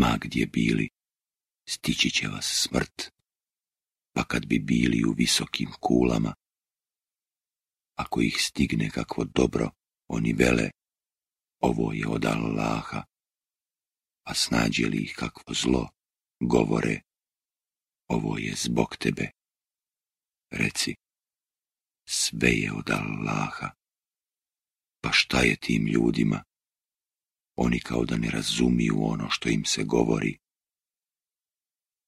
Ma gdje bili, stići će vas smrt, pa kad bi bili u visokim kulama, ako ih stigne kakvo dobro, oni vele, ovo je od Allaha, a snađe li ih kakvo zlo, govore, ovo je zbog tebe. Reci, sve je od Allaha. Pa šta je tim ljudima? Oni kao da ne razumiju ono što im se govori.